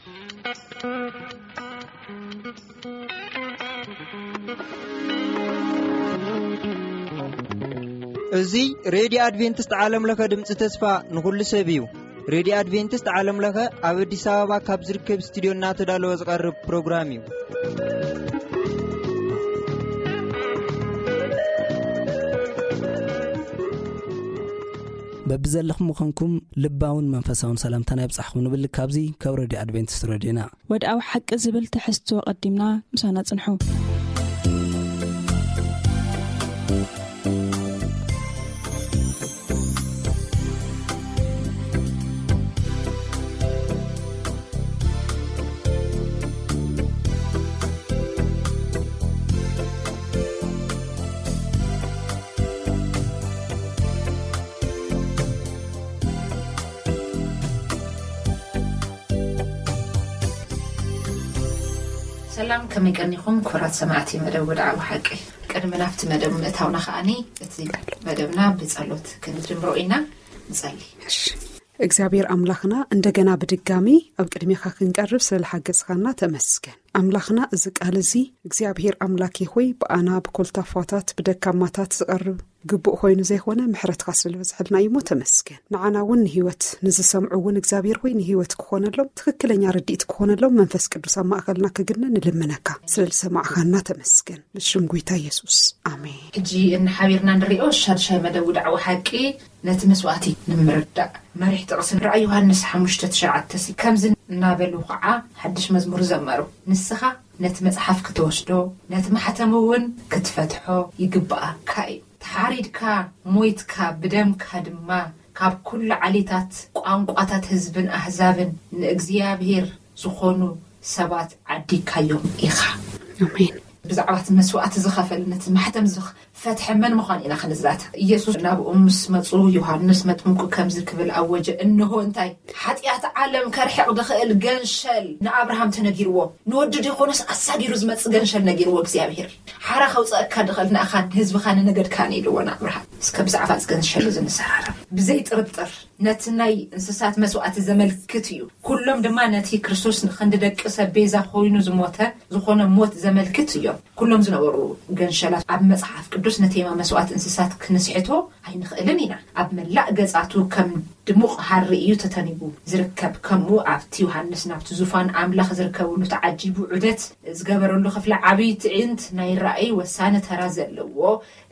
እዚ ሬድዮ ኣድቬንቲስት ዓለም ለኸ ድምፂ ተስፋ ንኹሉ ሰብ እዩ። ሬድዮ ኣድቬንቲስት ዓለም ለኸ ኣብ ኣዲስ ኣበባ ካብ ዝርከብ ስቱዲዮ እናተዳለወ ዝቐርብ ፕሮግራም እዩ። በብዘለኹም ምዃንኩም ልባውን መንፈሳውን ሰላምታና ይብጻሕኩም ንብል። ካብዚ ካብ ሬድዮ ኣድቬንቲስት ሬድዮና። ወድኣዊ ሓቂ ዝብል ትሕዝቶ ቀዲምና ምሳና ጽንሑ። ሰላም፣ ከመይ ቀኒኹም ክቡራት ሰማዕቲ መደብ ወድዓዊ ሓቂ? ቅድሚ ናብቲ መደብ ምእታውና ከኣኒ፣ እቲ መደብና ብጸሎት ክንጅምሮ ኢና። ንጸሊ። እግዚኣብሔር ኣምላኽና፣ እንደገና ብድጋሚ ኣብ ቅድሜኻ ክንቀርብ ስለ ዝሓገዝኻና ተመስገን። ኣምላኽና፣ እዚ ቃል እዚ እግዚኣብሔር ኣምላኬ ሆይ፣ ብኣና ብኮልታፋታት ብደካማታት ዝቐርብ ግቡእ ኮይኑ ዘይኮነ፣ ምሕረትካ ስለ ዝበዝሐልና እዩ እሞ ተመስገን። ንዓና እውን ንህይወት፣ ንዝሰምዑ እውን እግዚኣብሔር ሆይ ንህይወት ክኾነሎም፣ ትኽክለኛ ርድኢት ክኾነሎም መንፈስ ቅዱስ ኣብ ማእኸልና ክግነ ንልምነካ። ስለ ዝሰማዕኻና ተመስገን። ብሽም ጎይታ የሱስ፣ ኣሜን። ሕጂ እንሓቢርና ንሪኦ ሻድሻይ መደብ ውድዓዊ ሓቂ፣ ነቲ መስዋእቲ ንምርዳእ። መሪሕ ጥቕሲ ንራእይ ዮሃንስ ሓሙሽተ ትሽዓተ ሲ፣ ከምዚ እናበሉ ኸዓ ሓድሽ መዝሙር ዘመሩ። ንስኻ ነቲ መጽሓፍ ክትወስዶ፣ ነቲ ማሕተም እውን ክትፈትሖ ይግብኣካ እዩ። ተሓሪድካ፣ ሞይትካ፣ ብደምካ ድማ ካብ ኩሉ ዓሌታት፣ ቋንቋታት፣ ህዝብን ኣህዛብን ንእግዚኣብሔር ዝኾኑ ሰባት ዓዲግካዮም ኢኻ። ኣሜን። ብዛዕባ እቲ መስዋእቲ ዝኸፈል፣ ነቲ ማሕተም ዝኽ-፣ ፈትሐ መን ምዃን ኢና ክንዛተ። ኢየሱስ ናብኡ ምስ መጹ፣ ዮሃንስ መጥምቁ ከምዚ ክብል ኣወጀ፣ እንሆ እንታይ፣ ሓጢኣት ዓለም ከርሕቕ ዝኽእል ገንሸል ንኣብርሃም ተነጊርዎ። ንወዲ ዲኾኖስ ኣሳጊሩ ዝመጽእ ገንሸል ነጊርዎ እግዚኣብሔር። ሓራ ከውጽኣካ ዝኽእል ንኣኻን ህዝብኻን ንነገድካን ኢልዎ ንኣብርሃም። እስከ ብዛዕባ እዚ ገንሸል እዚ ንዘራረብ። ብዘይ ጥርጥር ነቲ ናይ እንስሳት መስዋእቲ ዘመልክት እዩ። ኩሎም ድማ ነቲ ክርስቶስ ንኽንዲ ደቂ ሰብ ቤዛ ኮይኑ ዝሞተ ዝኾነ ሞት ዘመልክት እዮም። ኩሎም ዝነበሩ ገንሸላት ኣብ መጽሓፍ ቅዱስ ንቴማ መስዋእቲ እንስሳት ክንስሕቶ ኣይንኽእልን ኢና። ኣብ መላእ ገጻቱ ከም ድሙቕ ሃሪ እዩ ተተኒቡ ዝርከብ። ከምኡ ኣብቲ ዮሃንስ ናብቲ ዙፋን ኣምላኽ ዝርከብሉ ተዓጂቡ ዑደት ዝገበረሉ ክፍሊ ዓብዪ ትዕይንት ናይ ራእይ ወሳኒ ተራ ዘለዎ፣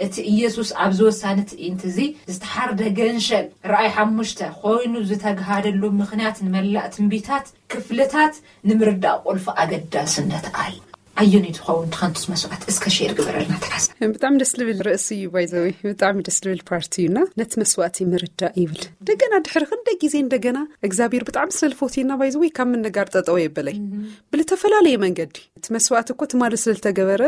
እቲ ኢየሱስ ኣብዚ ወሳኒ ትዕይንት እዚ ዝተሓርደ ገንሸል ራእይ ሓሙሽተ ኮይኑ ዝተግሃደሉ ምኽንያት ንመላእ ትንቢታት ክፍልታት ንምርዳእ ቁልፊ ኣገዳስነት ኣሎ። ኣየነይቲ ትኸውን ትኸንቱስ መስዋእቲ? እስከ ሼር ግበረልና ተሓሳ። ብጣዕሚ ደስ ልብል ርእሲ እዩ፣ ባይዘወይ ብጣዕሚ ደስ ልብል ፓርቲ እዩና ነቲ መስዋእቲ ምርዳእ ይብል። እንደገና ድሕሪ ክንደ ግዜ እንደገና እግዚኣብሔር ብጣዕሚ ስለ ዝፈትየና ባይዘወይ ካብ ምንጋር ጠጠው የበለይ። ብልተፈላለየ መንገዲ እቲ መስዋእቲ እኮ ትማሊ ስለ ዝተገበረ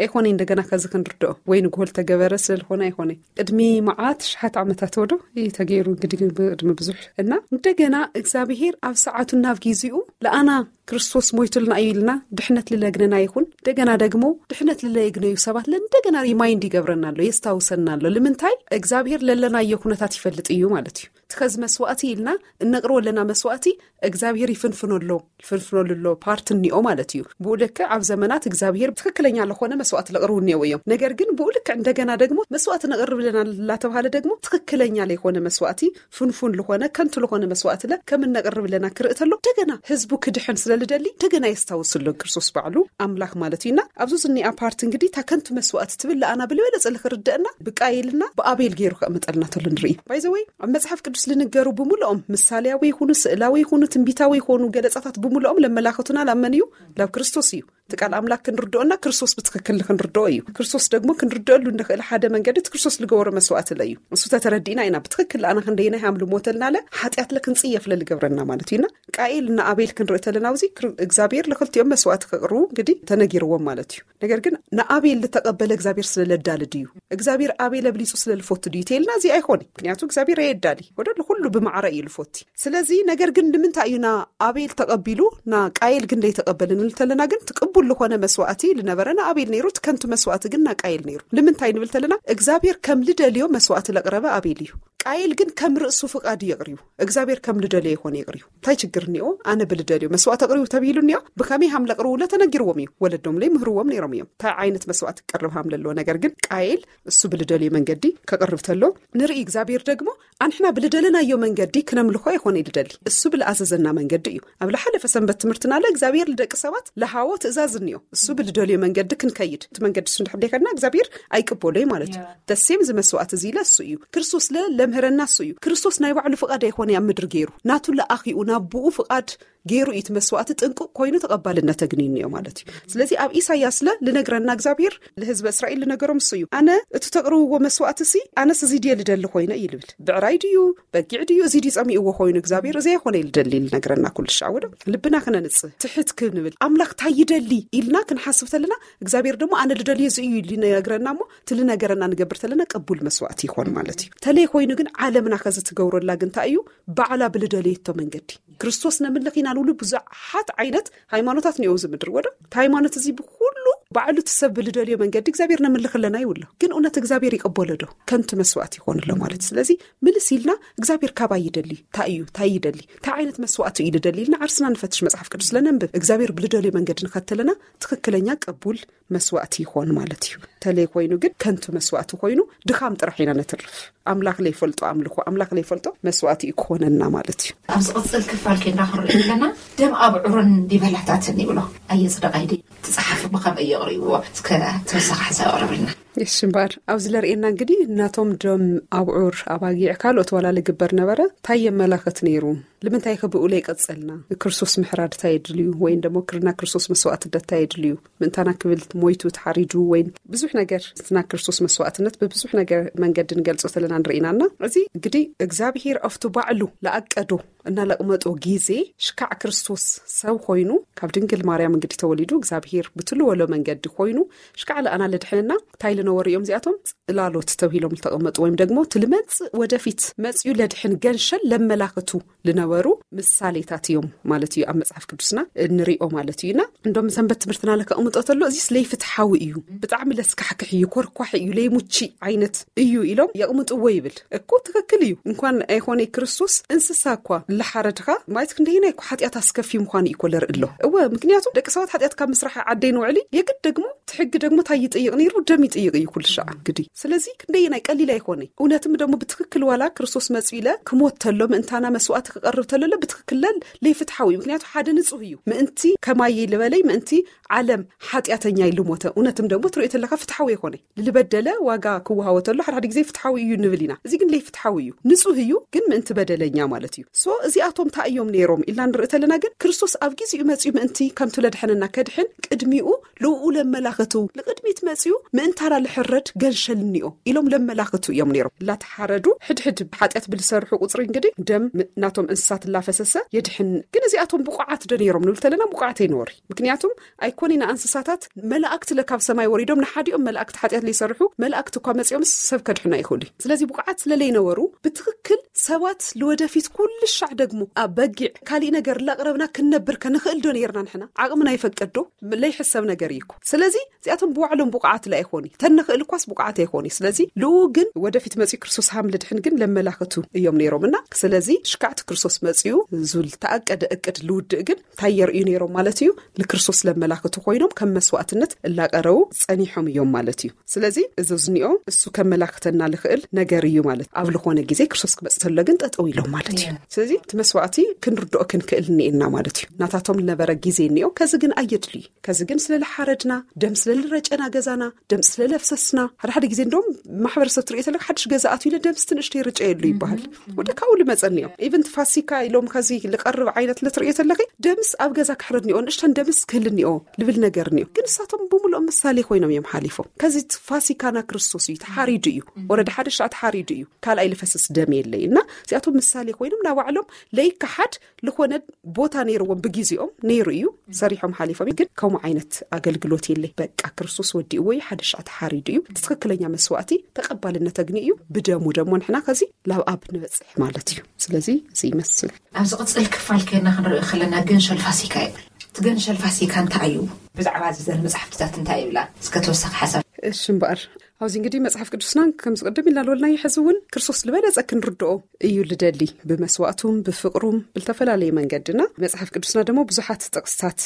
ኣይኮነ እንደገና ከዚ ክንርድኦ ወይ ንግሆ ዝተገበረ ስለ ዝኾነ ኣይኮነ። ቅድሚ መዓት ሽሓት ዓመታት ወዶ እዩ ተገይሩ እንግዲህ ግን ቅድሚ ብዙሕ እና እንደገና እግዚኣብሔር ኣብ ሰዓቱ ናብ ጊዜኡ ለኣና ክርስቶስ ሞይቱልና እዩ ኢልና ድሕነት ልለግነና ይኹን። እንደገና ደግሞ ድሕነት ልለየግነዩ ሰባት ለእንደገና ሪማይንድ ይገብረና ኣሎ፣ የስታውሰና ኣሎ። ልምንታይ? እግዚኣብሔር ለለናዮ ኩነታት ይፈልጥ እዩ ማለት እዩ። እቲ ከዚ መስዋእቲ ኢልና እነቕርቦ ኣለና መስዋእቲ እግዚኣብሔር ይፍንፍኖ ኣሎ፣ ይፍንፍኖሉ ኣሎ ፓርት እኒኦ ማለት እዩ። ብኡ ልክዕ ኣብ ዘመናት እግዚኣብሔር ትኽክለኛ ለኾነ መስዋእቲ ለቕርቡ እኒኦ እዮም። ነገር ግን ብኡ ልክዕ እንደገና ደግሞ መስዋእቲ ነቕርብ ኣለና ላተብሃለ ደግሞ ትኽክለኛ ለይኮነ መስዋእቲ ፍንፉን ልኾነ ከንቱ ልኾነ መስዋእቲ ለ ከም እነቕርብ ኣለና ክርኢ ተሎ እንደገና ህዝቡ ክድሕን ስለ ልደሊ እንደገና የስታውስሎ ክርስቶስ ባዕሉ ኣምላኽ ማለት እዩና። ኣብዚ ዝኒኣ ፓርት እንግዲህ እታ ከንቱ መስዋእቲ ትብል ለኣና ብልበለጸ ልክርደአና ብቃየልና ብኣቤል ገይሩ ከእምጠልና ተሎ ንርኢ። ባይዘወይ ኣብ መጽሓፍ ቅዱስ ልንገሩ ብምልኦም ምሳሌያዊ ይኹኑ ስእላዊ ይኹኑ ትንቢታዊ ይኹኑ ገለጻታት ብምልኦም ለመላኸቱና ላመን እዩ ላብ ክርስቶስ እዩ። እቲ ቃል ኣምላክ ክንርድኦና ክርስቶስ ብትኽክል ክንርድኦ እዩ። ክርስቶስ ደግሞ ክንርድኦሉ እንኽእል ሓደ መንገዲ እቲ ክርስቶስ ልገበሮ መስዋእቲ ለ እዩ። እሱ ተተረዲእና ኢና ብትኽክል ኣና ክንደይና ሃም ልሞተልና ለ ሓጢኣት ለ ክንጽየፍ ለ ልገብረና ማለት እዩና። ቃኤል እና ኣቤል ክንርኢ ተለና ኣብዚ ክር እግዚኣብሔር ልክልቲኦም መስዋእቲ ክቕርቡ እንግዲ ተነጊርዎም ማለት እዩ። ነገር ግን ንኣቤል ልተቐበለ እግዚኣብሔር ስለ ለዳልድ እዩ። እግዚኣብሔር ኣቤል ኣብሊጹ ስለ ልፎቱ ድዩ ተልና እዚ ኣይኮነ። ምክንያቱ እግዚኣብሔር ኣየዳሊ ወደ ኩሉ ብማዕረ እዩ ልፎቲ። ስለዚ ነገር ግን ንምንታይ እዩ ና ኣቤል ተቐቢሉ ና ቃየል ግን ደይተቐበለ ንብል ተለና ግን ትቅቡል ልኾነ መስዋእቲ ልነበረ ንኣቤል ነይሩ ትከንቱ መስዋእቲ ግን ና ቃየል ነይሩ። ንምንታይ ንብል ተለና እግዚኣብሔር ከም ልደልዮ መስዋእቲ ለቕረበ ኣቤል እዩ። ቃየል ግን ከም ርእሱ ፍቓድ እዩ የቕርዩ። እግዚኣብሔር ከም ልደልዮ ይኾነ የቕርዩ። እንታይ ችግር እኒኦ? ኣነ ብልደልዮ መስዋዕት ኣቕርቡ ተብሂሉ እኒኦ። ብኸመይ ሃም ለቕርቡለ ተነጊርዎም እዩ። ወለዶም ለይ ምህርዎም ነይሮም እዮም። እንታይ ዓይነት መስዋዕት ክቀርብ ሃም ለለዎ። ነገር ግን ቃየል እሱ ብልደልዮ መንገዲ ከቕርብ ተሎ ንርኢ። እግዚኣብሔር ደግሞ ኣንሕና ብልደለናዮ መንገዲ ክነምልኾ ይኾነ ይልደሊ። እሱ ብልኣዘዘና መንገዲ እዩ። ኣብ ለሓለፈ ሰንበት ትምህርትና ለ እግዚኣብሔር ልደቂ ሰባት ለሃዎ ትእዛዝ እኒኦ። እሱ ብልደልዮ መንገዲ ክንከይድ፣ እቲ መንገዲ እሱ እንድሕር ደይከድና እግዚኣብሔር ኣይቅበሎ እዩ ማለት እዩ። ተሴም እዚ መስዋዕት እዚ ኢለ እሱ እዩ። ክርስቶስ ለ ለምህረና እሱ እዩ። ክርስቶስ ናይ ባዕሉ ፍቓድ ኣይኾነ ኣብ ምድሪ ገይሩ። ናቱ ለኣኺኡ ናብ ብኡ ፍቓድ ገይሩ እዩ እቲ መስዋዕቲ ጥንቁቕ ኮይኑ ተቐባልነት ኣግንዩ እኒኦ ማለት እዩ። ስለዚ ኣብ ኢሳያስ ለ ልነግረና እግዚኣብሔር ልህዝበ እስራኤል ልነገሮም እሱ እዩ። ኣነ እቲ ተቕርብዎ መስዋዕቲ ሲ ኣነስ እዚ ድየ ልደሊ ኮይነ እዩ ልብል። ብዕራይ ድዩ በጊዕ ድዩ እዚ ድዩ ጸሚእዎ ኮይኑ እግዚኣብሔር እዚ ኣይኮነ እዩ ልደሊ ልነግረና ኩሉ ሻዕ ወዶ ልብና ክነንጽህ ትሕት ክንብል ኣምላኽ እንታይ ይደሊ ኢልና ክንሓስብ ተለና እግዚኣብሔር ድማ ኣነ ልደልዮ እዚ እዩ ልነግረና እሞ እቲ ልነገረና ንገብር ተለና ቅቡል መስዋዕቲ ይኾን ማለት እዩ። ተለይ ኮይኑ ግን ዓለምና ከዚ ትገብረላ ግን እንታይ እዩ? ባዕላ ብልደልየቶ መንገዲ ክርስቶስ ነምልኽ ኢና ንብሉ ብዙሓት ዓይነት ሃይማኖታት እኒኦ እዚ ምድሪ ወዶ። እቲ ሃይማኖት እዚ ብኩሉ ባዕሉ እቲ ሰብ ብልደልዮ መንገዲ እግዚኣብሔር ነምልኽ ኣለና ይብሎ። ግን እውነት እግዚኣብሔር ይቕበሎ ዶ? ከንቱ መስዋዕቲ ይኾን ኣሎ ማለት። ስለዚ ምልስ ኢልና እግዚኣብሔር ካባይ ይደሊ፣ እንታይ እዩ፣ እንታይ ይደሊ፣ እንታይ ዓይነት መስዋዕቲ እዩ ልደሊ ኢልና ዓርስና ንፈትሽ፣ መጽሓፍ ቅዱስ ለነንብብ፣ እግዚኣብሔር ብልደልዮ መንገዲ ንኸተለና ትኽክለኛ ቅቡል መስዋዕቲ ይኾን ማለት እዩ። ተለይ ኮይኑ ግን ከንቱ መስዋዕቲ ኮይኑ ድኻም ጥራሕ ኢና ነትርፍ። ኣምላኽ ለይፈልጦ ኣምልኾ፣ ኣምላኽ ለይፈልጦ መስዋዕቲ እዩ ክኾነና ማለት እዩ። ኣብ ዝቕጽል ክፋል ኬንዳ ክንርኢ ከለና ደም ኣብዑርን ዲበላታትን ይብሎ። ኣየጽደቓይ ድዩ? እቲ ጸሓፊ ብኸመይ የቕርብዎ? እስከ ተወሳኺ ሓሳብ ኣቕርብልና። እሺ እምበኣር፣ ኣብዚ ለርእየና እንግዲህ ናቶም ደም ኣብዑር ኣባጊዕ ካልኦት ዋላ ልግበር ነበረ፣ እንታይ የመላኽት ነይሩ? ልምንታይ ከ ብኡ ለይቀጸልና? ክርስቶስ ምሕራድ እንታይ የድልዩ? ወይን ደሞ ክርና ክርስቶስ መስዋዕትነት እንታይ የድልዩ? ምእንታና ክብል ሞይቱ ተሓሪዱ ወይን ብዙሕ ነገር፣ ስና ክርስቶስ መስዋዕትነት ብብዙሕ ነገር መንገዲ ንገልጾ ተለና ንርኢናና። እዚ እንግዲህ እግዚኣብሔር ኣብቲ ባዕሉ ለኣቀዶ እና ለቕመጦ ጊዜ ሽካዕ ክርስቶስ ሰብ ኮይኑ ካብ ድንግል ማርያም እንግዲህ ተወሊዱ እግዚኣብሔር ብትልወሎ መንገዲ ኮይኑ ሽካዕ ለኣና ለድሕንና እንታይ ልነበሩ እዮም እዚኣቶም? ጽላሎት ተብሂሎም ዝተቐመጡ ወይም ደግሞ እቲ ልመጽእ ወደፊት መጽዩ ለድሕን ገንሸል ለመላኽቱ ልነበሩ ምሳሌታት እዮም ማለት እዩ። ኣብ መጽሓፍ ቅዱስና እንሪኦ ማለት እዩና። እንደም ሰንበት ትምህርትና ለከቕምጦ ተሎ እዚስ ለይፍትሓዊ እዩ፣ ብጣዕሚ ለስካሕክሕ እዩ፣ ኮርኳሕ እዩ፣ ለይሙቺ ዓይነት እዩ ኢሎም የቕምጥዎ ይብል። እኮ ትኽክል እዩ። እንኳን ኣይኾነ ክርስቶስ እንስሳ እኳ ለሓረድኻ ማለት ክንደይና እኮ ሓጢኣት ኣስከፊ ምዃኑ እዩ እኮ ለርኢ ኣሎ። እወ፣ ምክንያቱ ደቂ ሰባት ሓጢኣት ካብ ምስራሕ ዓደይ ንውዕሊ የግድ ደግሞ እቲ ሕጊ ደግሞ እንታይ ይጥይቕ ነይሩ? ደም ይጥይቕ እዩ ኩሉ ሻዕ እንግዲህ። ስለዚ ክንደይናይ ቀሊል ኣይኮነ። እውነትም ደግሞ ብትኽክል ዋላ ክርስቶስ መጽኡ ኢለ ክሞት ተሎ ምእንታና መስዋዕቲ ክቐርብ ተሎ ለ ብትኽክል ለል ለይፍትሓዊ እዩ። ምክንያቱ ሓደ ንጹህ እዩ። ምእንቲ ከማይ ልበለይ ምእንቲ ዓለም ሓጢኣተኛ ኢሉ ሞተ። እውነትም ደግሞ ትሪኦ ተለካ ፍትሓዊ ኣይኮነ። ልበደለ ዋጋ ክወሃቦ ተሎ ሓደ ሓደ ግዜ ፍትሓዊ እዩ ንብል ኢና። እዚ ግን ለይፍትሓዊ እዩ። ንጹህ እዩ ግን ምእንቲ በደለኛ ማለት እዩ። ሶ እዚኣቶም እንታይ እዮም ነይሮም ኢልና ንርኢ ተለና ግን ክርስቶስ ኣብ ጊዜኡ መጽኡ ምእንቲ ከምቱ ለድሐነና ከድሕን ቅድሚኡ ልኡ ለመላኸቱ ልቕድሚት መጽኡ ምእንታና ልሕረድ ገንሸልኒኦ ኢሎም ለመላኸቱ እዮም ነይሮም። ላተሓረዱ ሕድሕድ ሓጢኣት ብልሰርሑ ቁጽሪ እንግዲህ ደም ም-፣ ናቶም እንስሳት ላፈሰሰ የድሕን። ግን እዚኣቶም ብቑዓት ዶ ነይሮም ንብል ተለና ብቑዓት ኣይነበሩ። ምክንያቱም ኣይኮነ ኢና እንስሳታት መላእክት ለካብ ሰማይ ወሪዶም ንሓዲኦም መላእክት ሓጢኣት ለይሰርሑ መላእክት እኳ መጽኦም ሰብ ከድሕኑ ኣይኽእሉ። ስለዚ ብቑዓት ስለለይነበሩ ብትኽክል ሰባት ልወደፊት ኩሉ ሻዕ ደግሞ ኣብ በጊዕ ካሊእ ነገር ላቕረብና ክንነብር ከንኽእል ዶ ነይርና ንሕና? ዓቕምና ይፈቅድ ዶ? ለይሕሰብ ነገር እዩ እኮ። ስለዚ እዚኣቶም ብባዕሎም ብቑዓት ላ ኣይኾኑ። ተንኽእል እኳስ ብቑዓት ኣይኾኑ። ስለዚ ልኡ ግን ወደፊት መጺኡ ክርስቶስ ሃም ልድሕን ግን ለመላኽቱ እዮም ነይሮም እና ስለዚ ሽካዕቲ ክርስቶስ መጺኡ ዙል ተኣቀደ እቅድ ልውድእ ግን እንታይ የርእዩ ነይሮም ማለት እዩ? ንክርስቶስ ለመላኽቱ ኮይኖም ከም መስዋዕትነት እላቀረቡ ጸኒሖም እዮም ማለት እዩ። ስለዚ እዚ ዝኒኦ እሱ ከመላኽተና ልኽእል ነገር እዩ ማለት ኣብ ልኾነ ግዜ ክርስቶስ ክመጽእ ተሎ ግን ጠጠው ኢሎም ማለት እዩ። ስለዚ እቲ መስዋዕቲ ክንርድኦ ክንክእል እኒኤና ማለት እዩ። ናታቶም ልነበረ ግዜ እኒኦ ከዚ ግን ኣየድልዩ። ከዚ ግን ስለ ልሓረድና፣ ደም ስለ ልረጨና ገዛና፣ ደም ስለ ለፍሰስና፣ ሓደ ሓደ ግዜ እንደውም ማሕበረሰብ ትሪኦ ተለካ ሓድሽ ገዛ ኣትዩ ኢለ ደምስ ትንእሽተይ ርጨየሉ ይበሃል። ወደ ካብኡ ልመጸኒ እዮም። ኢቨን እቲ ፋሲካ ኢሎም ከዚ ልቐርብ ዓይነት ልትሪኦ ተለኺ ደምስ ኣብ ገዛ ክሕረድ እኒኦ፣ ንእሽተን ደምስ ክህል እኒኦ ልብል ነገር እኒኦ። ግን ንሳቶም ብምልኦም ምሳሌ ኮይኖም እዮም ሓሊፎም። ከዚ እቲ ፋሲካና ክርስቶስ እዩ፣ ተሓሪዱ እዩ። ወረዳ ሓደ ሻዕ ተሓሪዱ እዩ። ካልኣይ ልፈስስ ደም የለይ። እና እዚኣቶም ምሳሌ ኮይኖም ናባዕሎም ለይከሓድ ልኾነ ቦታ ነይርዎም ብግዜኦም ነይሩ እዩ። ሰሪሖም ሓሊፎም ግን ከምኡ ዓይነት ኣገልግሎት የለይ። በቃ ክርስቶስ ወዲእዎ እዩ፣ ሓደ ሻዕ ተሓሪዱ እዩ። እቲ ትኽክለኛ መስዋዕቲ ተቐባልነት ኣግኒ እዩ። ብደሙ ደሞ ንሕና ከዚ ላብ ኣብ ንበጽሕ ማለት እዩ። ስለዚ እዚ ይመስል። ኣብ ዝቕጽል ክፋል ኬና ክንርኢ ከለና ገንሸል ፋሲካ ይብል። እቲ ገንሸል ፋሲካ እንታይ እዩ? ብዛዕባ እዚ ዘር መጽሓፍትታት እንታይ ይብላ? እስከ ተወሳኺ ሓሳብ። እሺ እምበኣር ኣብዚ እንግዲህ መጽሓፍ ቅዱስና ከም ዝቅድም ኢልና ዝበልናዮ ሕዚ እውን ክርስቶስ ዝበለጸ ክንርድኦ እዩ ልደሊ፣ ብመስዋእቱም ብፍቅሩም ብልተፈላለየ መንገድና። መጽሓፍ ቅዱስና ደግሞ ብዙሓት ጥቅስታት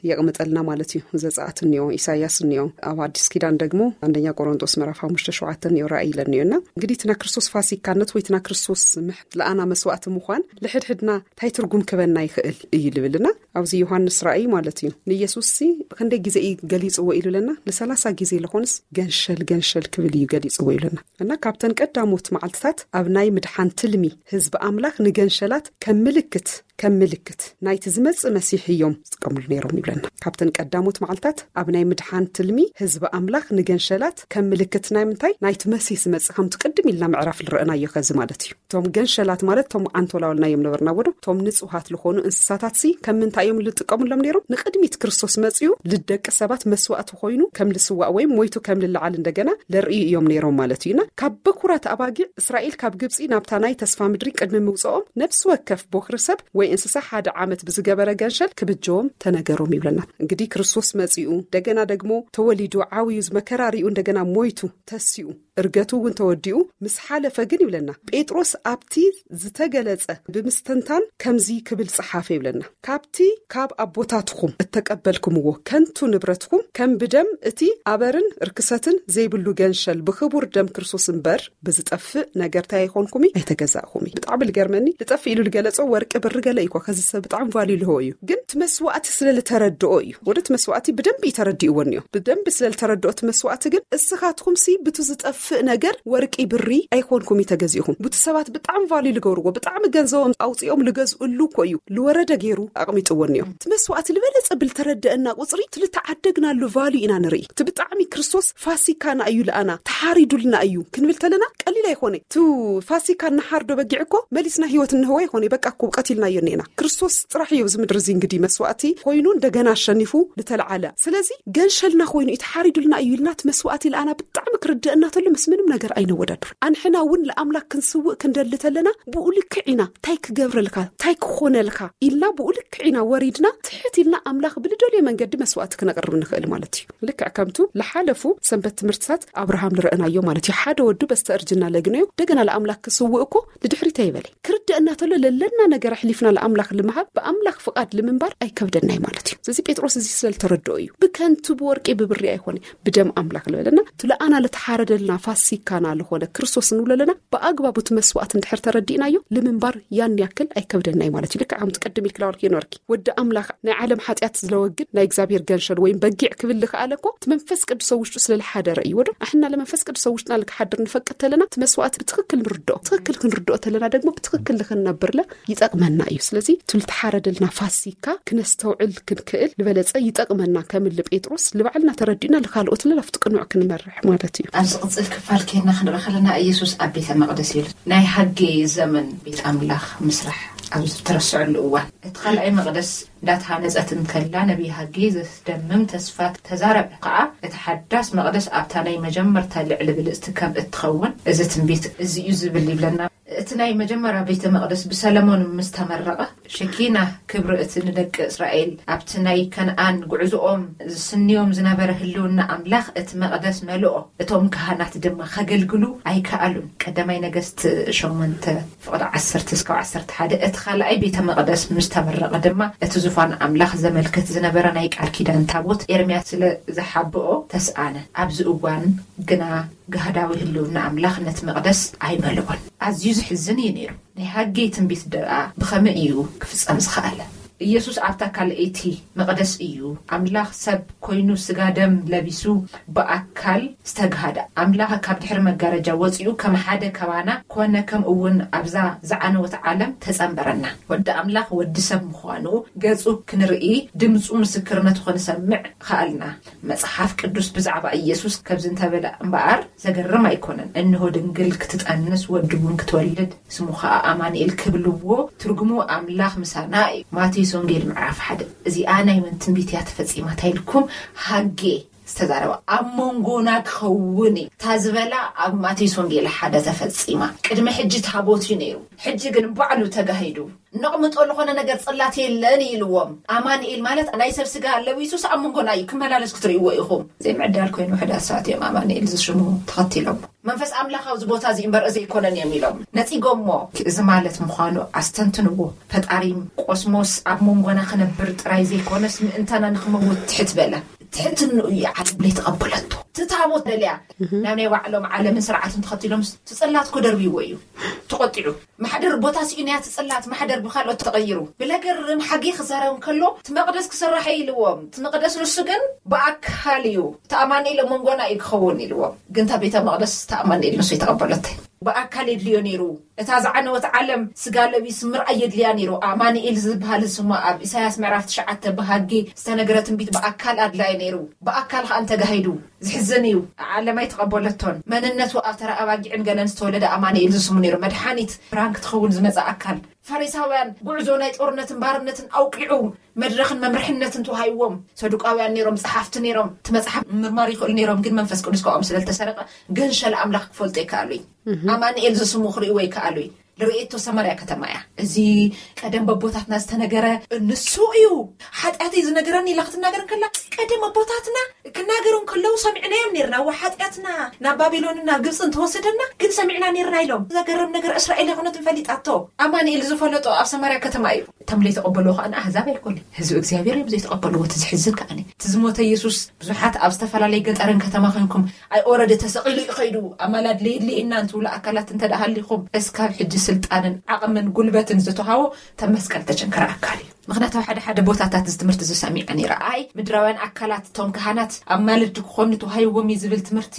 የቕምጠልና ማለት እዩ። ዘጸኣት እኒኦ፣ ኢሳያስ እኒኦ፣ ኣብ ኣዲስ ኪዳን ደግሞ አንደኛ ቆሮንጦስ ምዕራፍ ሓሙሽተ ሸውዓተ እኒኦ፣ ራእይ ኢለ እኒኦ። እና እንግዲህ ትና ክርስቶስ ፋሲካነት ወይ ትና ክርስቶስ ምሕ ለኣና መስዋእቲ ምዃን ልሕድሕድና እንታይ ትርጉም ክበና ይኽእል እዩ ልብልና። ኣብዚ ዮሃንስ ራእይ ማለት እዩ። ንኢየሱስ ሲ ክንደይ ግዜ እዩ ገሊጽዎ ኢሉለና? ንሰላሳ ግዜ ለኾንስ ገንሸል ገንሸል ክብል እዩ ገሊጽዎ ኢሉና። እና ካብተን ቀዳሞት መዓልትታት ኣብ ናይ ምድሓን ትልሚ ህዝቢ ኣምላኽ ንገንሸላት ከም ምልክት ከም ምልክት ናይቲ ዝመጽእ መሲሕ እዮም ዝጥቀምሉ ነይሮም ይብለና። ካብተን ቀዳሞት መዓልታት ኣብ ናይ ምድሓን ትልሚ ህዝቢ ኣምላኽ ንገንሸላት ከም ምልክት ናይ ምንታይ? ናይቲ መሲሕ ዝመጽእ፣ ከምቲ ቅድም ኢልና ምዕራፍ ዝረእናዮ ከዚ ማለት እዩ። እቶም ገንሸላት ማለት እቶም ዓንቶላውልና እዮም ነበርና ወዶ፣ እቶም ንጹሃት ዝኾኑ እንስሳታት ሲ ከም ምንታይ እዮም ዝጥቀሙሎም ነይሮም? ንቅድሚት ክርስቶስ መጽኡ ልደቂ ሰባት መስዋእቲ ኮይኑ ከም ልስዋእ ወይም ሞይቱ ከም ልለዓል እንደገና ለርእዩ እዮም ነይሮም ማለት እዩና። ካብ በኩራት ኣባጊዕ እስራኤል ካብ ግብጺ ናብታ ናይ ተስፋ ምድሪ ቅድሚ ምውጽኦም ነፍሲ ወከፍ ቦኽሪ ሰብ ወይ እንስሳ ሓደ ዓመት ብዝገበረ ገንሸል ክብጀዎም ተነገሮም ይብለና። እንግዲህ ክርስቶስ መጺኡ እንደገና ደግሞ ተወሊዱ ዓውዩ መከራ ሪኡ እንደገና ሞይቱ ተሲኡ እርገቱ እውን ተወዲኡ ምስ ሓለፈ ግን ይብለና፣ ጴጥሮስ ኣብቲ ዝተገለጸ ብምስትንታን ከምዚ ክብል ጸሓፈ ይብለና። ካብቲ ካብ ኣቦታትኹም እተቀበልኩምዎ ከንቱ ንብረትኩም ከም ብደም እቲ ኣበርን ርክሰትን ዘይብሉ ገንሸል ብክቡር ደም ክርስቶስ እምበር ብዝጠፍእ ነገር እንታይ ኣይኮንኩሚ ኣይተገዛእኩሚ። ብጣዕሚ ልገርመኒ ልጠፍእ ኢሉ ልገለጾ ወርቂ ብሪ ገለ እዩ እኮ ከዚ ሰብ ብጣዕሚ ቫልዩ ልህቦ እዩ። ግን እቲ መስዋእቲ ስለ ልተረድኦ እዩ። ወደ እቲ መስዋእቲ ብደንብ እዩ ተረዲእዎ እኒኦ። ብደንብ ስለ ልተረድኦ እቲ መስዋእቲ ግን እስኻትኩም ሲ ብቱ ዝጠፍእ ነገር ወርቂ ብሪ ኣይኮንኩም እዩ ተገዚእኹም። ቡቲ ሰባት ብጣዕሚ ቫልዩ ልገብርዎ ብጣዕሚ ገንዘቦም ኣውፂኦም ልገዝእሉ እኮ እዩ። ልወረደ ገይሩ ኣቕሚጥዎ እኒኦ። እቲ መስዋእቲ ልበለጸ ብልተረደአና ቁፅሪ እቲ ልተዓደግናሉ ቫልዩ ኢና ንርኢ። እቲ ብጣዕሚ ክርስቶስ ፋሲካና እዩ ልኣና ተሓሪዱልና እዩ ክንብል ተለና ቀሊል ኣይኮነ። እቲ ፋሲካ እናሓርዶ በጊዕ እኮ መሊስና ህይወት እንህቦ ኣይኮነ። በቃ እኮ ቀቲልናዮ እኒኤና። ክርስቶስ ጥራሕ እዩ ኣብዚ ምድሪ እዚ እንግዲህ መስዋእቲ ኮይኑ እንደገና ኣሸኒፉ ልተለዓለ። ስለዚ ገንሸልና ኮይኑ እዩ ተሓሪዱልና እዩ ኢልና እቲ መስዋእቲ ልኣና ብጣዕሚ ክርድአና ተሎ ምስ ምንም ነገር ኣይነወዳድር። ኣንሕና እውን ለኣምላክ ክንስውእ ክንደሊ ተለና ብኡ ልክዕ ኢና። እንታይ ክገብረልካ እንታይ ክኾነልካ ኢልና ብኡ ልክዕ ኢና ወሪድና ትሕት ኢልና ኣምላኽ ብልደልዮ መንገዲ መስዋእቲ ክነቕርብ ንኽእል ማለት እዩ። ልክዕ ከምቱ ልሓለፉ ሰንበት ትምህርትታት ኣብርሃም ንረእናዮ ማለት እዩ። ሓደ ወዱ በስተእርጅና ለግነዮ እንደገና ለኣምላክ ክስውእ እኮ ንድሕሪት ኣይበለ። ክርደአና ተሎ ለለና ነገር ኣሕሊፍና ለኣምላኽ ልምሃብ ብኣምላኽ ፍቓድ ልምንባር ኣይከብደናይ ማለት እዩ። ስለዚ ጴጥሮስ እዚ ስለ ልተረድኦ እዩ። ብከንቱ ብወርቂ ብብሪ ኣይኮነ ብደም ኣምላኽ ልበለና። እቲ ለኣና ልተሓረደልና ፋሲካና ልኾነ ክርስቶስ ንብሎ ኣለና። ብኣግባቡ እቲ መስዋእቲ እንድሕር ተረዲእናዮ ልምንባር ያን ያክል ኣይከብደናይ ማለት እዩ። ልክዕ ከምቲ ቅድም ኢልኪ ነበርኪ ወዲ ኣምላኽ ናይ ዓለም ሓጢኣት ዝለወግድ ናይ እግዚኣብሔር ገንሸል ወይም በጊዕ ክብል ልኽኣለ እኮ እቲ መንፈስ ቅዱስ ኣብ ውሽጡ ስለ ልሓደረ እዩ። ወዶ ኣሕና ለመንፈስ ቅዱስ ኣብ ውሽጥና ልክሓድር ንፈቅድ ተለና እቲ መስዋእቲ ብትኽክል ንርድኦ። ትኽክል ክንርድኦ ተለና ደግሞ ብትኽክል ልክንነብርለ ይጠቕመና እዩ። ስለዚ እቲ ልተሓረደልና ፋሲካ ክነስተውዕል ክንክእል ልበለጸ ይጠቕመና። ከም ልጴጥሮስ ልባዕልና ተረዲእና ልካልኦት ለላፍቲ ቅኑዕ ክንመርሕ ማለት እዩ። ኣብ ዝቕጽል ክፋል ኬና ክንርኢ ከለና ኢየሱስ ኣብ ቤተ መቕደስ እዩ። ናይ ሃጌ ዘመን ቤት ኣምላኽ ምስራሕ ኣብ ዝተረስዐሉ እዋን እቲ ካልኣይ መቕደስ እንዳተሃነጸት እንከላ ነቢይ ሃጌ ዘስደምም ተስፋ ተዛረበ። ከኣ እቲ ሓዳስ መቕደስ ኣብታ ናይ መጀመርታ ልዕሊ ብልጽቲ ከም እትኸውን እዚ ትንቢት እዚ እዩ ዝብል ይብለና። እቲ ናይ መጀመርያ ቤተ መቕደስ ብሰለሞን ምስ ተመረቐ ሸኪና ክብሪ እቲ ንደቂ እስራኤል ኣብቲ ናይ ከነኣን ጉዕዞኦም ዝስንዮም ዝነበረ ህልውና ኣምላኽ እቲ መቕደስ መልኦ። እቶም ካህናት ድማ ከገልግሉ ኣይከኣሉን። ቀዳማይ ነገስት ሸሞንተ ፍቕዲ ዓሰርተ እስካብ ዓሰርተ ሓደ እቲ ካልኣይ ቤተ መቕደስ ምስ ተመረቐ ድማ እቲ ዙፋን ኣምላኽ ዘመልክት ዝነበረ ናይ ቃል ኪዳን ታቦት ኤርምያስ ስለ ዝሓብኦ ተስኣነ። ኣብዚ እዋን ግና ጋህዳዊ ህልውና ኣምላኽ ነቲ መቕደስ ኣይመልኦን። ኣዝዩ ዝሕዝን እዩ ነይሩ። ናይ ሃጌ ትንቢት ደኣ ብኸመይ እዩ ክፍጸም ዝኸኣለ? ኢየሱስ ኣብታ ካልኣይቲ መቕደስ እዩ ኣምላኽ ሰብ ኮይኑ ስጋ ደም ለቢሱ ብኣካል ዝተግሃደ። ኣምላኽ ካብ ድሕሪ መጋረጃ ወጺኡ ከም ሓደ ካባና ኮነ፣ ከምኡ እውን ኣብዛ ዝዓነወት ዓለም ተጸንበረና። ወዲ ኣምላኽ ወዲ ሰብ ምዃኑ ገጹ ክንርኢ ድምጹ ምስክርነቱ ክንሰምዕ ከኣልና። መጽሓፍ ቅዱስ ብዛዕባ ኢየሱስ ከምዚ እንተበለ እምበኣር ዘገርም ኣይኮነን። እንሆ ድንግል ክትጠንስ ወዲ እውን ክትወልድ ስሙ ኸኣ ኣማኑኤል ክብልዎ ትርጉሙ ኣምላኽ ምሳና እዩ። ማቴዎስ ወንጌል ምዕራፍ ሓደ። እዚኣ ናይ መን ትንቢት እያ ተፈጺማ እንታይ ኢልኩም? ሃጌ ዝተዛረበ ኣብ መንጎና ክኸውን እዩ። እታ ዝበላ ኣብ ማቴዎስ ወንጌል ሓደ ተፈጺማ። ቅድሚ ሕጂ ታቦት እዩ ነይሩ፣ ሕጂ ግን ባዕሉ ተጋሂዱ። ነቕምጦ ዝኾነ ነገር ጽላት የለን ኢልዎም። ኣማኑኤል ማለት ናይ ሰብ ስጋ ለቢሱስ ኣብ መንጎና እዩ ክመላለስ ክትርእይዎ ኢኹም። ዘይምዕዳል ኮይኑ ውሕዳት ሰባት እዮም ኣማኑኤል ዝሽሙ ተኸቲሎም። መንፈስ ኣምላኽ ኣብዚ ቦታ እዚ እምበር እዚ ኣይኮነን እዮም ኢሎም ነጺጎሞ። እዚ ማለት ምዃኑ ኣስተንትንዎ። ፈጣሪ ቆስሞስ ኣብ መንጎና ክነብር ጥራይ ዘይኮነስ ምእንታና ንኽመውት ትሕት በለ። ትሕትንኡ እዩ ዓለም ለይተቐበለቶ። እቲ ታቦት ደልያ ናብ ናይ ባዕሎም ዓለምን ስርዓትን ተኸቲሎም ትጽላት ኮደርብይዎ እዩ ተቖጢዑ። ማሕደር ቦታ ስኢኑ እያ ትጽላት፣ ማሕደር ብኻልኦት ተቐይሩ። ብለገርም ሓጌ ክዛረብ እንከሎ እቲ መቕደስ ክስራሕ እዩ ኢልዎም። እቲ መቕደስ ንሱ ግን ብኣካል እዩ፣ እቲ ኣማኑኤል ኣብ መንጎና እዩ ክኸውን ኢልዎም። ግን እታ ቤተ መቕደስ እቲ ኣማኑኤል ንሱ ይተቐበለተ። ብኣካል የድልዮ ነይሩ። እታ ዝዓነወት ዓለም ስጋ ለቢስ ምርኣይ የድልያ ነይሩ። ኣማኑኤል ዝበሃል ስሙ ኣብ ኢሳያስ ምዕራፍ ትሽዓተ ብሃጌ ዝተነገረ ትንቢት ብኣካል ኣድላዩ ነይሩ። ብኣካል ከኣ እንተጋሂዱ ዝሕዝን እዩ። ዓለም ኣይተቐበለቶን። መንነቱ ኣብ ተራ ኣባጊዕን ገለን ዝተወለደ ኣማኑኤል ዝስሙ ነይሩ። መድሓኒት ብርሃን ክትኸውን ዝመጸ ኣካል። ፈሪሳውያን ጉዕዞ ናይ ጦርነትን ባርነትን ኣውቂዑ መድረኽን መምርሕነትን ተዋሂብዎም። ሰዱቃውያን ነይሮም፣ ጸሓፍቲ ነይሮም፣ እቲ መጽሓፍ ምርማር ይኽእሉ ነይሮም፣ ግን መንፈስ ቅዱስ ካብኦም ስለ ዝተሰረቐ ገንሸል ኣምላኽ ክፈልጡ ይከኣሉ እዩ። ኣማኑኤል ዝስሙ ክርእይዎ ይከኣሉ እዩ። ልርእየቶ ሰማርያ ከተማ እያ። እዚ ቀደም በቦታትና ዝተነገረ ንሱ እዩ። ሓጢኣተይ ዝነገረኒ ኢላ ክትናገር እንከላ ቀደም ኣቦታትና ክናገሩ እንከለዉ ሰሚዕናዮም ነርና። እዋ ሓጢኣትና ናብ ባቢሎንን ናብ ግብፅን ተወሰደና፣ ግን ሰሚዕና ነርና ኢሎም። ዘገርም ነገር እስራኤል ኣይኮነትን ፈሊጣቶ። ኣማኑኤል ዝፈለጦ ኣብ ሰማርያ ከተማ እዩ። እቶም ዘይተቐበልዎ ከኣ ንኣህዛብ ኣይኮኑን፣ ህዝቢ እግዚኣብሔር እዮም ዘይተቐበልዎ። እቲ ዝሕዝን ከኣ እቲ ዝሞተ የሱስ ብዙሓት ኣብ ዝተፈላለየ ገጠርን ከተማ ኮንኩም ኣይ ኦረደ ተሰቒሉ እዩ ኸይዱ ኣማላድ ለየድልየና እንትብሉ ኣካላት እንተ ደኣ ሃሊኹም፣ እስካብ ሕጂ ስልጣንን ዓቕምን ጉልበትን ዝተውሃቦ ተመስቀል ተቸንከረ ኣካል እዩ። ምኽንያቱ ኣብ ሓደ ሓደ ቦታታት እዚ ትምህርቲ ዝሰሚዐ ነይረ። ኣይ ምድራውያን ኣካላት እቶም ካህናት ኣማልድቲ ክኾኑ ተዋሂብዎም እዩ ዝብል ትምህርቲ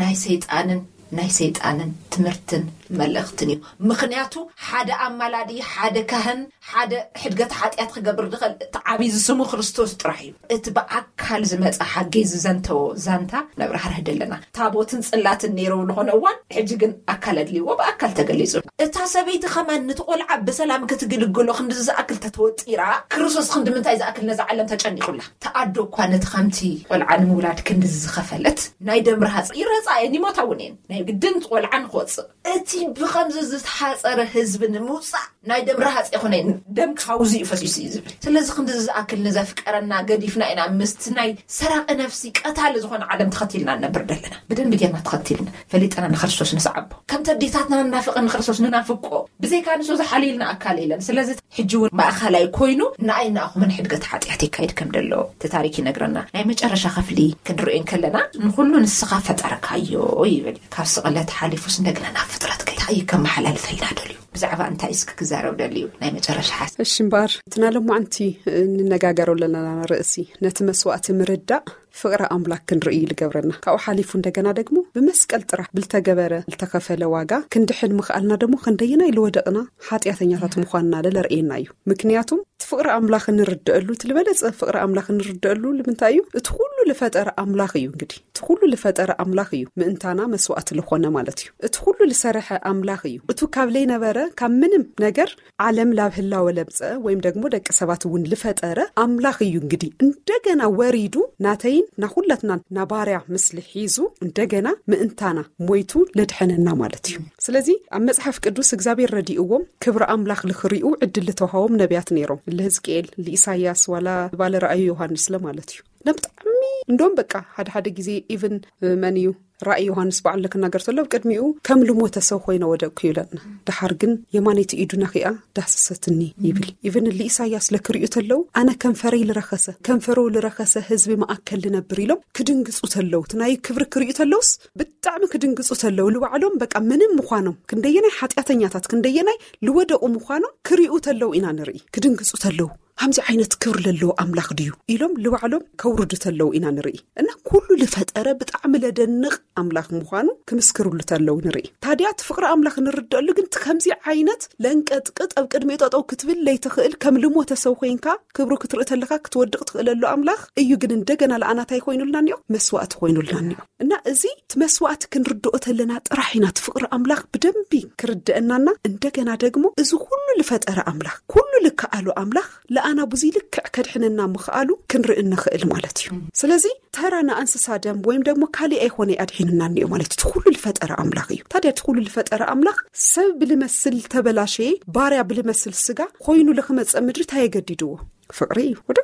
ናይ ሰይጣንን ናይ ሰይጣንን ትምህርትን መልእኽትን እዩ። ምኽንያቱ ሓደ ኣማላዲ፣ ሓደ ካህን፣ ሓደ ሕድገት ሓጢኣት ክገብር ዝኽእል እቲ ዓብዪ ዝስሙ ክርስቶስ ጥራሕ እዩ። እቲ ብኣካል ዝመጸ ሓገይ ዝዘንተዎ ዛንታ ነብራህርህ ደለና። ታቦትን ጽላትን ነይሩ ዝኾነ እዋን፣ ሕጂ ግን ኣካል ኣድልይዎ ብኣካል ተገሊጹ። እታ ሰበይቲ ከማን ነቲ ቆልዓ ብሰላም ክትግልግሎ ክንዲ ዝኣክል ተተወጢራ፣ ክርስቶስ ክንዲ ምንታይ ዝኣክል ነዛ ዓለም ተጨኒቑላ። ተኣዶ እኳ ነቲ ከምቲ ቆልዓ ንምውላድ ክንዲ ዝኸፈለት ናይ ደም ረሃጽ ይረጻ እየን፣ ይሞታ እውን እየን። ናይ ግድን ቆልዓ ንክወጽእ እቲ ብኸምዚ ዝተሓጸረ ህዝቢ ንምውጻእ ናይ ደም ረሃጽ ይኹነ ደም ክሃውዙ እዩ ፈሲሱ እዩ ዝብል። ስለዚ ክንዲ ዝኣክል ንዘፍቀረና ገዲፍና ኢና ምስቲ ናይ ሰራቂ ነፍሲ ቀታሊ ዝኾነ ዓለም ተኸቲልና ንነብር ደለና። ብደንቢ ጌርና ተኸቲልና ፈሊጠና ንክርስቶስ ንስዓቦ። ከምቲ ኣዴታትና ንናፍቐ ንክርስቶስ ንናፍቆ። ብዘይካ ንሱ ዝሓልይልና ኣካል የለን። ስለዚ ሕጂ እውን ማእኸላይ ኮይኑ ንኣይ ንኣኹምን ሕድገት ሓጢኣት የካይድ ከም ደሎ እቲ ታሪክ ይነግረና። ናይ መጨረሻ ክፍሊ ክንሪኦ እንከለና ንኹሉ ንስኻ ፈጠርካዮ ይብል። ካብ ስቕለት ሓሊፉስ እንደገና ናብ ፍጥረት ከ-፣ እንታይ እዩ ከመሓላልፈልና ደልዩ? ብዛዕባ እንታይ እስኪ ክዛረብ ደልዩ? ናይ መጨረሻ ሓሳብ። እሺ እምበኣር፣ እቲ ናይ ሎማዓንቲ እንነጋገሮ ዘለና ርእሲ ነቲ መስዋእቲ ምርዳእ ፍቕሪ ኣምላክ ክንርኢ እዩ ዝገብረና። ካብኡ ሓሊፉ እንደገና ደግሞ ብመስቀል ጥራሕ ብልተገበረ፣ ልተኸፈለ ዋጋ ክንድሕን ምኽኣልና ደግሞ ክንደየናይ ልወደቕና ሓጢኣተኛታት ምዃንና ለርእየና እዩ። ምክንያቱም እቲ ፍቕሪ ኣምላኽ እንርድአሉ፣ እቲ ልበለጸ ፍቕሪ ኣምላኽ እንርድአሉ ልምንታይ እዩ? እቲ ኩሉ ልፈጠረ ኣምላኽ እዩ። እንግዲህ እቲ ኩሉ ልፈጠረ ኣምላኽ እዩ ምእንታና መስዋእቲ ልኾነ ማለት እዩ። እቲ ኩሉ ልሰርሐ ኣምላኽ እዩ። እቱ ካብ ለይነበረ፣ ካብ ምንም ነገር ዓለም ላብ ህላወ ለምጸ ወይም ደግሞ ደቂ ሰባት እውን ልፈጠረ ኣምላኽ እዩ። እንግዲህ እንደገና ወሪዱ ናተይን ናኹላትናን ናባርያ ምስሊ ሒዙ እንደገና ምእንታና ሞይቱ ለድሐነና ማለት እዩ። ስለዚ ኣብ መጽሓፍ ቅዱስ እግዚኣብሔር ረዲእዎም ክብሪ ኣምላኽ ልኽሪኡ ዕድል ልተውሃቦም ነቢያት ነይሮም። ልህዝቅኤል፣ ልኢሳያስ፣ ዋላ ባለ ራእዩ ዮሃንስ ለ ማለት እዩ። ለ ብጣዕሚ እንደውም በቃ ሓደ ሓደ ግዜ ኢቭን መን እዩ ራእይ ዮሃንስ በዓል ክናገር ተሎ ኣብ ቅድሚኡ ከም ልሞተ ሰብ ኮይነ ወደቅኩ ይብለና። ደሓር ግን የማነይቲ ኢዱ ነኺኣ ዳህሰሰትኒ ይብል። ኢቭን ልኢሳያስ ለክሪኡ ተለው ኣነ ከንፈረይ ልረኸሰ፣ ከንፈሮ ልረኸሰ ህዝቢ መኣከል ልነብር ኢሎም ክድንግጹ ተለው፣ እቲ ናይ ክብሪ ክሪኡ ተለውስ ብጣዕሚ ክድንግጹ ተለው። ልባዕሎም በቃ ምንም ምዃኖም፣ ክንደየናይ ሓጢኣተኛታት፣ ክንደየናይ ልወደቑ ምዃኖም ክሪኡ ተለው ኢና ንርኢ። ክድንግጹ ተለው። ከምዚ ዓይነት ክብሪ ለለዎ ኣምላኽ ድዩ ኢሎም ልባዕሎም ከውርዱ ተለው ኢና ንርኢ። እና ኩሉ ልፈጠረ ብጣዕሚ ለደንቕ ኣምላኽ ምዃኑ ክምስክርሉ ተለዉ ንርኢ። ታዲያ እቲ ፍቕሪ ኣምላኽ ንርደኣሉ ግን እቲ ከምዚ ዓይነት ለንቀጥቅጥ ኣብ ቅድሚኡ ጠጠው ክትብል ለይትኽእል፣ ከም ልሞተ ሰብ ኮይንካ ክብሩ ክትርኢ ተለኻ ክትወድቕ ትኽእለሉ ኣምላኽ እዩ። ግን እንደገና ለኣናታይ ኮይኑልና እኒኦ፣ መስዋእቲ ኮይኑልና እኒኦ። እና እዚ እቲ መስዋእቲ ክንርድኦ ተለና ጥራሕ ኢና እቲ ፍቕሪ ኣምላኽ ብደንቢ ክርድአናና። እንደገና ደግሞ እዚ ኩሉ ልፈጠረ ኣምላኽ፣ ኩሉ ልከኣሉ ኣምላኽ ለኣና ብዙይ ልክዕ ከድሕነና ምኽኣሉ ክንርኢ እንኽእል ማለት እዩ። ስለዚ ተራ ንኣንስሳ ደም ወይም ደግሞ ካሊእ ኣይኮነ ኣድሒኑና እኒኦ ማለት እቲ ኩሉ ልፈጠረ ኣምላኽ እዩ። ታዲያ እቲ ኩሉ ልፈጠረ ኣምላኽ ሰብ ብልመስል ተበላሸየ፣ ባርያ ብልመስል ስጋ ኮይኑ ልክመፀ ምድሪ እንታይ የገዲድዎ? ፍቕሪ እዩ ወደ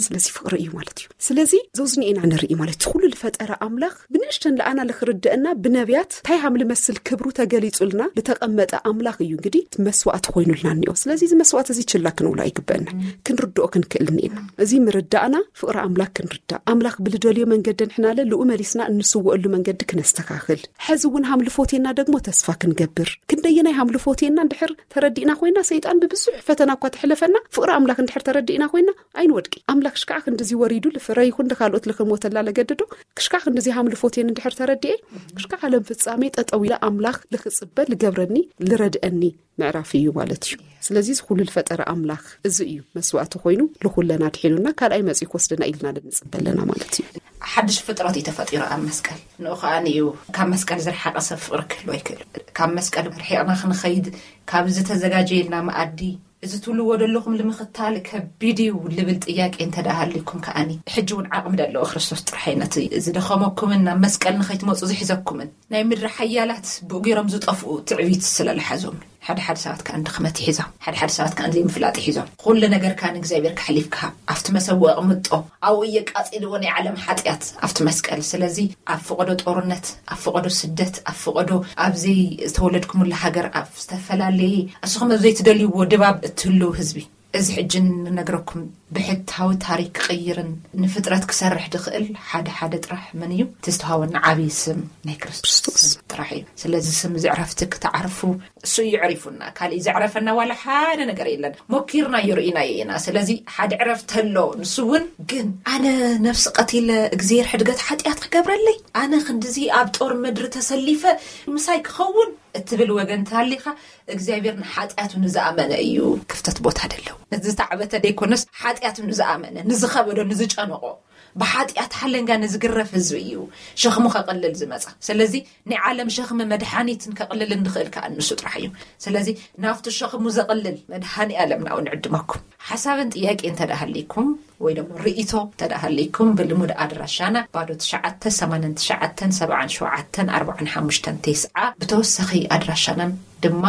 ስለዚ ፍቕሪ እዩ ማለት እዩ። ስለዚ ዘውዝኒ ኢና ንርኢ ማለት እቲ ኩሉ ልፈጠረ ኣምላኽ ብንእሽተን ለኣና ልክርድአና ብነቢያት እንታይ ሃም ልመስል ክብሩ ተገሊጹልና ልተቐመጠ ኣምላኽ እዩ። እንግዲህ እቲ መስዋእቲ ኮይኑልና እኒኦ። ስለዚ እዚ መስዋእቲ እዚ ችላ ክንብሎ ኣይግበአና፣ ክንርድኦ ክንክእል እኒኤና። እዚ ምርዳእና ፍቕሪ ኣምላኽ ክንርዳእ፣ ኣምላኽ ብልደልዮ መንገዲ ንሕናለ ልኡ መሊስና እንስውአሉ መንገዲ ክነስተካኽል፣ ሕዚ እውን ሃምልፎቴና ደግሞ ተስፋ ክንገብር። ክንደየናይ ሃምልፎቴና እንድሕር ተረዲእና ኮይና፣ ሰይጣን ብብዙሕ ፈተና እኳ ተሕለፈና፣ ፍቕሪ ኣምላኽ እንድሕር ተረዲእና ኮይና ኣይንወድቂ። ኣምላኽ ሽካዕ ክንድዚ ወሪዱ ልፍረ ይኹን ንካልኦት ልክሞተላ ለገድዶ ክሽካዕ ክንድዚ ሃምልፎቴን እንድሕር ተረዲኤ፣ ክሽካዕ ዓለም ፍጻሜ ጠጠው ኢለ ኣምላኽ ልክጽበ ልገብረኒ ልረድአኒ ምዕራፍ እዩ ማለት እዩ። ስለዚ እዚ ኩሉ ልፈጠረ ኣምላኽ እዚ እዩ መስዋእቲ ኮይኑ ልኹለና ድሒኑና ካልኣይ መጺኡ ክወስደና ኢልና ልንጽበ ኣለና ማለት እዩ። ሓድሽ ፍጥረት እዩ ተፈጢሩ ኣብ መስቀል። ንኡ ከኣ እዩ ካብ መስቀል ዝረሓቐ ሰብ ፍቕሪ ክህልዎ ኣይክእል። ካብ መስቀል ርሒቕና ክንኸይድ፣ ካብ ዝተዘጋጀየልና መኣዲ፣ እዚ ትብልዎ ዘለኹም ንምኽታል ከቢድ እዩ ልብል ጥያቄ እንተ ደኣ ሃልይኩም ከኣኒ፣ ሕጂ እውን ዓቕሚ ደለዎ ክርስቶስ ጥራሕ እዩ ነቲ ዝደኸመኩምን ናብ መስቀል ንኸይትመጹ ዝሕዘኩምን ናይ ምድሪ ሓያላት ብእጉሮም ዝጠፍኡ ትዕቢት ስለ ልሓዞም። ሓደ ሓደ ሰባት ከኣ ድኽመት ይሒዞም፣ ሓደ ሓደ ሰባት ከኣ ዘይምፍላጥ ይሒዞም። ኩሉ ነገርካ ንእግዚኣብሔር ከሕሊፍካ ኣብቲ መሰውእ ኣቕምጦ፣ ኣብኡ እየ ቃጺልዎ ናይ ዓለም ሓጢኣት ኣብቲ መስቀል። ስለዚ ኣብ ፈቐዶ ጦርነት፣ ኣብ ፈቐዶ ስደት፣ ኣብ ፈቐዶ ኣብ ዘይተወለድኩምሉ ሃገር፣ ኣብ ዝተፈላለየ እስኹም ኣብ ዘይትደልይዎ ድባብ እትህልው ህዝቢ፣ እዚ ሕጂ ንነግረኩም ብሕታዊ ታሪክ ክቕይርን ንፍጥረት ክሰርሕ ድኽእል ሓደ ሓደ ጥራሕ መን እዩ? እቲ ዝተዋወና ዓብዪ ስም ናይ ክርስቶስ ክርስቶስ። ስም ጥራሕ እዩ። ስለዚ ስም እዚ ዕረፍቲ ክትዓርፉ እሱ እዩ ዕሪፉና። ካሊእ ዘዕረፈና ዋላ ሓደ ነገር የለን። ሞኪርናዮ ርኢናዮ ኢና። ስለዚ ሓደ ዕረፍቲ ኣሎ። ንሱ እውን ግን ኣነ ነፍሲ ቀቲለ እግዚኣብሔር ሕድገት ሓጢኣት ክገብረለይ? ኣነ ክንድዚ ኣብ ጦር ምድሪ ተሰሊፈ ምሳይ ክኸውን እትብል ወገን ተሃሊኻ እግዚኣብሔር ንሓጢኣቱ ንዝኣመነ እዩ ክፍተት ቦታ ደለው። ንዝተዓበተ ደይኮነስ ሓጢኣቱ ንዝኣመነ ንዝኸበዶ ንዝጨነቆ ብሓጢኣት ሓለንጋ ንዝግረፍ ህዝቢ እዩ ሸኽሙ ከቕልል ዝመጻ። ስለዚ ናይ ዓለም ሸኽሚ መድሓኒትን ከቕልልን ዝኽእል ከኣ ንሱ ጥራሕ እዩ። ስለዚ ናብቲ ሸኽሙ ዘቕልል መድሃኒ ኣለም ናብኡ ንዕድመኩም። ሓሳብን ጥያቄ እንተ ደኣ ሃልይኩም ወይ ደሞ ርእይቶ እንተ ደኣ ሃልይኩም ብልሙድ ኣድራሻና ባዶ ትሽዓተ ሰማንያን ትሽዓተን ሰብዓን ሸውዓተን ኣርባዓን ሓሙሽተን ተስዓ ብተወሳኺ ኣድራሻናን ድማ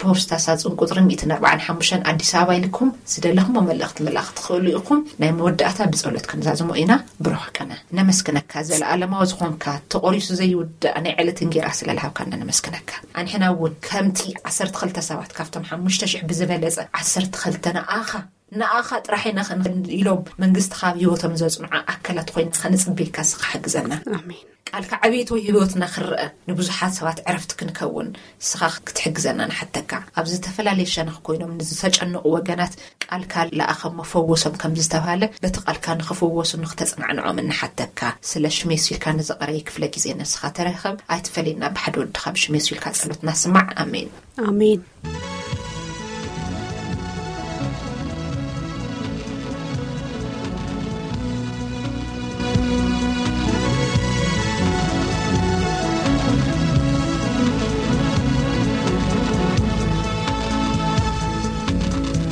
ፖስታ ሳጹን ቁጽሪ ሚእትን ኣርባዓን ሓሙሽተን ኣዲስ ኣበባ ኢልኩም ዝደለኹሞ መልእኽቲ ምልኣኽ ትኽእሉ ኢኹም። ናይ መወዳእታ ብጸሎት ክንዛዝሞ ኢና። ብሩኽ ቀነ። ነመስግነካ፣ ዘለኣለማዊ ዝኾንካ፣ ተቖሪሱ ዘይውዳእ ናይ ዕለት እንጌራ ስለ ልሃብካና ነመስግነካ። ኣንሕና እውን ከምቲ ዓሰርተ ክልተ ሰባት ካብቶም ሓሙሽተ ሽሕ ብዝበለጸ ዓሰርተ ክልተ ንኣኻ፣ ንኣኻ ጥራሕ ኢና ኸን ኢሎም መንግስቲ ካብ ህይወቶም ዘጽንዑ ኣካላት ኮይና ኸንጽበየካ ስኻ ሓግዘና። ኣሜን። ቃልካ ዕቤት ወይ ህይወትና ክረአ ንብዙሓት ሰባት ዕረፍቲ ክንከውን ንስኻ ክትሕግዘና ንሓተካ። ኣብ ዝተፈላለየ ሸነኽ ኮይኖም ንዝተጨነቑ ወገናት ቃልካ ለኣኸሞ ፈወሶም ከም ዝተባህለ በቲ ቃልካ ንኽፍወሱ ንኽተጽናዕንዖም እንሓተካ። ስለ ሽሜሱ ኢልካ ንዝቐረየ ክፍለ ግዜ ንስኻ ተረኸብ። ኣይትፈለየና ብሓደ ወድኻ ብሽሜሱ ኢልካ ጸሎትና ስማዕ። ኣሜን። ኣሜን።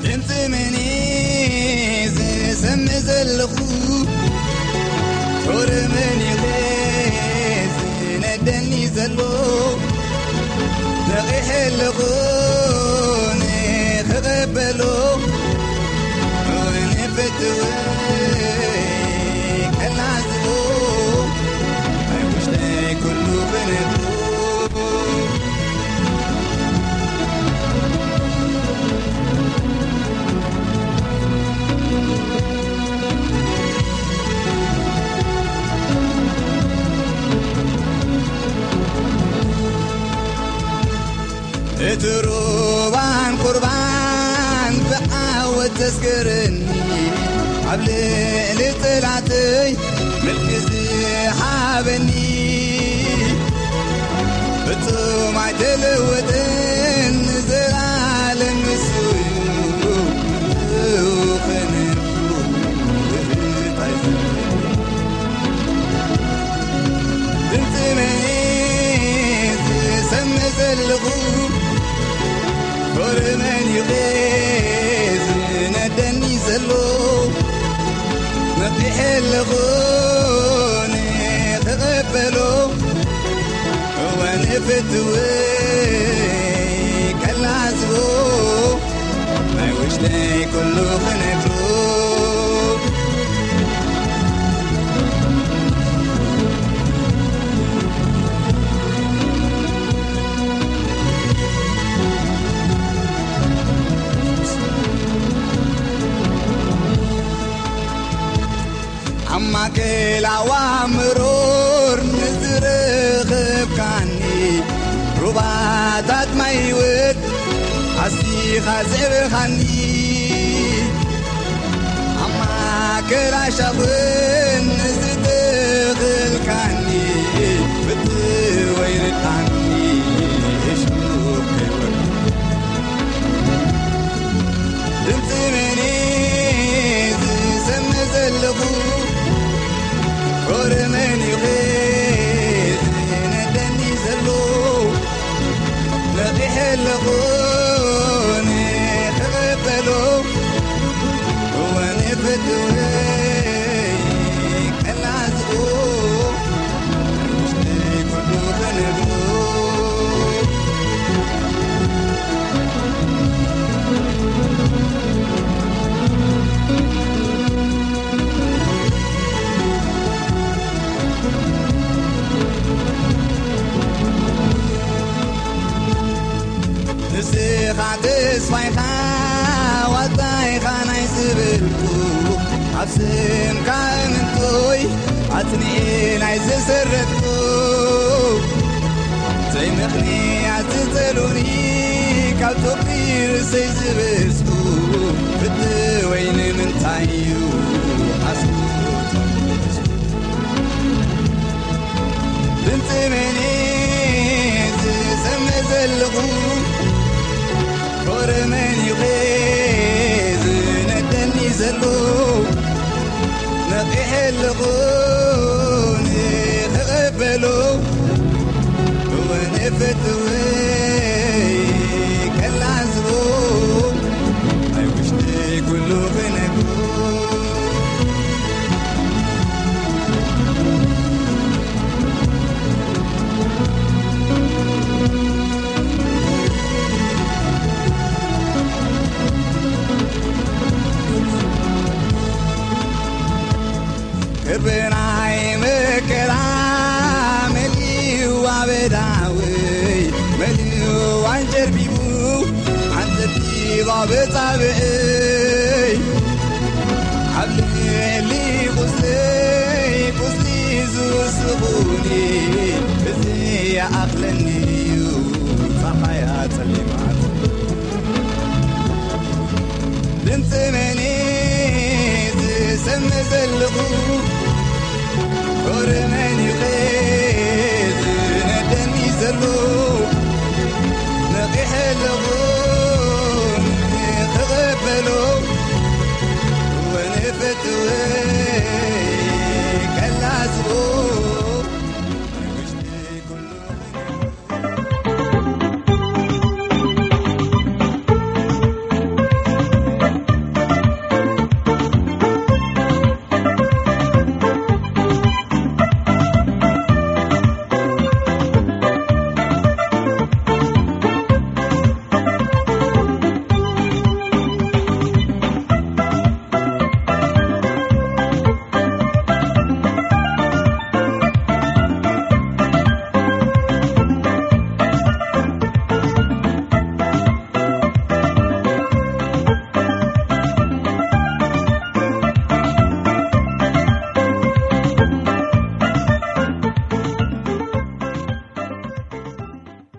ድምፂ መን ዝሰምዕ ዘለኹ? ጦር መን ዝነደኒ ዘሎ? ነቒሐ ኣለኹ ንኽቐበሎ፣ ንፍትወይ ከላዝቦ፣ ኣብ ውሽጠይ ኩሉ ክነግሮ። እቲ ሩባን ቁርባን ብዓወት ዘስግረኒ፣ ኣብ ልዕሊ ጽላተይ ምልኪ ዝሃበኒ፣ ፍጹም ኣይተለወጠን፣ ንዘለኣለም ንሱ እዩ። ንሱ ኸነብሩ ውህበት ኣይዘምር። ድምፂ መን ዝሰምዕ ዘለኹ? ፍቕሪ መን እዩ ዝነደኒ ዘሎ? ነቒሐ ኣለኹ ንኽቕበሎ፣ እወ ንፍትወይ ከላዝቦ፣ ናይ ውሽጠይ ኩሉ ክነግሮ። ኣብ ማእከል ኣዋምሮር ንዝረኸብካኒ፣ ሩባታት ማይ ህይወት ኣስቲኻ ዘዕበኻኒ። ኣብ ማእከል ኣሻኽን ዝተኸልካኒ፣ ፍትወይ ርድኣኒ፣ እሹኽ ከይወርድ። ድምፂ መን ዝሰምዕ ዘለኹ? ፍቕሪ መን እዩ ዝነደኒ ዘሎ? ነቒሐ ኣለኹ ንኽቕበሎ፣ እወ ንፍትወይ ከላዝቦ፣ ውሽጠይ ኩሉ ክነግሮ። ንስኻ ተስፋይኻ ዋልታይኻ ናይ ዝበልኩ፣ ኣብ ስምካ እምንቶይ ኣጽኒኤ ናይ ዝሰረትኩ፣ ዘይምኽንያት ዝጸሉኒ ካብ ቶክሪ ርእሰይ ዝበዝኩ፣ ፍትወይ ንምንታይ እዩ ኣስቡት? ድምፂ መን ዝሰምዕ ዘለኹ? ፍቕሪ መን እዩ ዝነደኒ ዘሎ? ነቒሐ ኣለኹ ንኽቕበሎ፣ እወ ንፍትወይ ከላዝቦ፣ ናይ ውሽጠይ ኩሉ ክነግሮ። ቅርብናይ መከራ መሊኡ ኣበዳወይ፣ መሊኡ ኣንጀርቢቡ ኣንጠቢባ በጻብእይ። ኣብ ልዕሊ ቁስለይ ቁስሊ ዝውስኹኒ፣ እዚ ይኣኽለኒ እዩ ጸሓያ ጸሊማት። ድምፂ መን ዝሰምዕ ዘለኹ? ፍቕሪ መን እዩ ዝነደኒ ዘሎ? ነቒሐ ኣለኹ ንኽቕበሎ፣ ወንፍትወይ ከላዝቦ።